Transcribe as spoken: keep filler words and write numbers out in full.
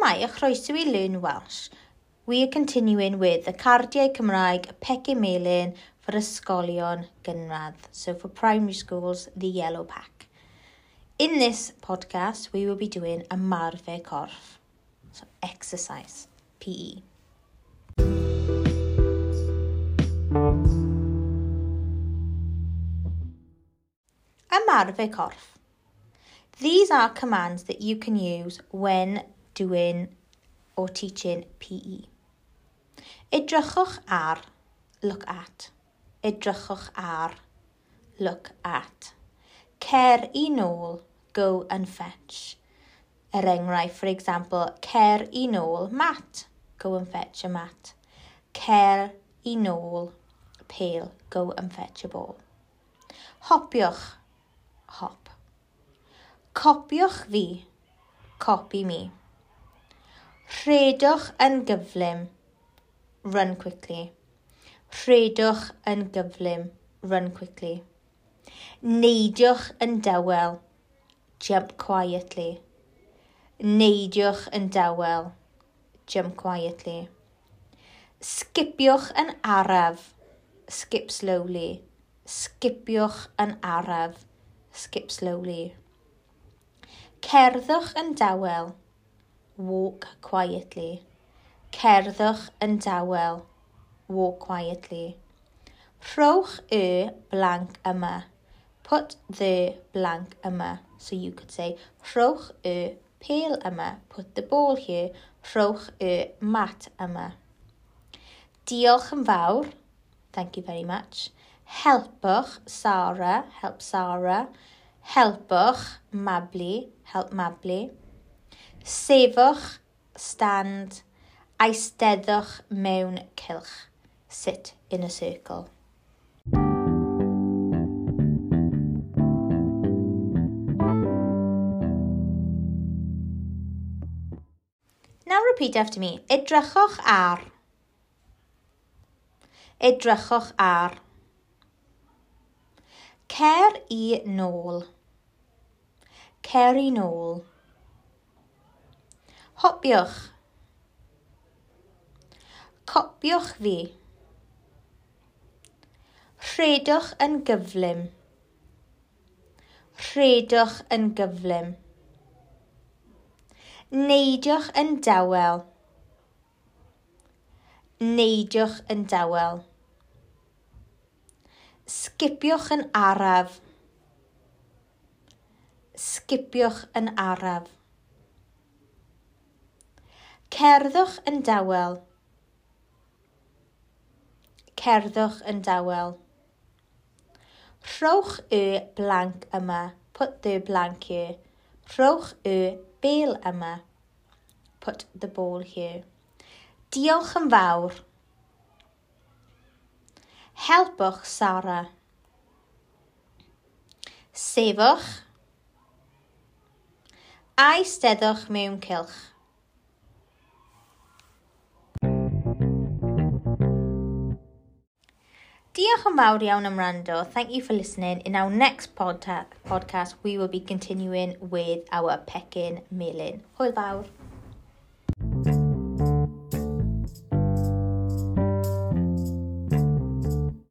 Shwmae a chroeso i Learn Welsh. We are continuing with the Cardiau Cymraeg Pecyn Melyn for Ysgolion Gynradd. So for primary schools, the yellow pack. In this podcast, we will be doing ymarfer corff. So exercise, P E. Ymarfer corff. These are commands that you can use when doing or teaching P E. Edrychwch ar, look at. Edrychwch ar, look at. Cer I nôl, go and fetch. Er enghraifft, for example, cer I nôl mat, go and fetch a mat. Cer I nôl pêl, go and fetch a ball. Hopiwch, hop. Copiwch fi, copy me. Rhedwch yn gyflym, run quickly. Rhedwch yn gyflym, run quickly. Neidiwch yn dawel, jump quietly. Neidiwch yn dawel, jump quietly. Sgipiwch yn araf, skip slowly. Sgipiwch yn araf, skip slowly. Cerddwch yn dawel, walk quietly. Cerddwch yn dawel, walk quietly. Rhowch y blank yma. Put the blank yma. So you could say, rhowch y pêl yma. Put the ball here. Rhowch y mat yma. Diolch yn fawr. Thank you very much. Helpwch Sarah. Help Sarah. Helpwch Mabli. Help Mabli. Sefwch, stand. Eisteddwch mewn cylch. Sit in a circle. Now repeat after me. Edrychwch ar. Edrychwch ar. Cer I nôl. Cer I nôl. Hopiwch. Copiwch fi. Rhedwch yn gyflym. Rhedwch yn gyflym. Neidiwch yn dawel. Neidiwch yn dawel. Sgipiwch yn araf. Sgipiwch yn araf. Cerddwch yn dawel. Cerddwch yn dawel. Rhowch y blank yma. Put the blank here. Rhowch y bêl yma. Put the ball here. Diolch yn fawr. Helpwch Sarah. Sefwch. Eisteddwch mewn cylch. Diolch yn fawr iawn am wrando. Thank you for listening. In our next podta- podcast, we will be continuing with our Pecyn Melyn. Hwyl fawr.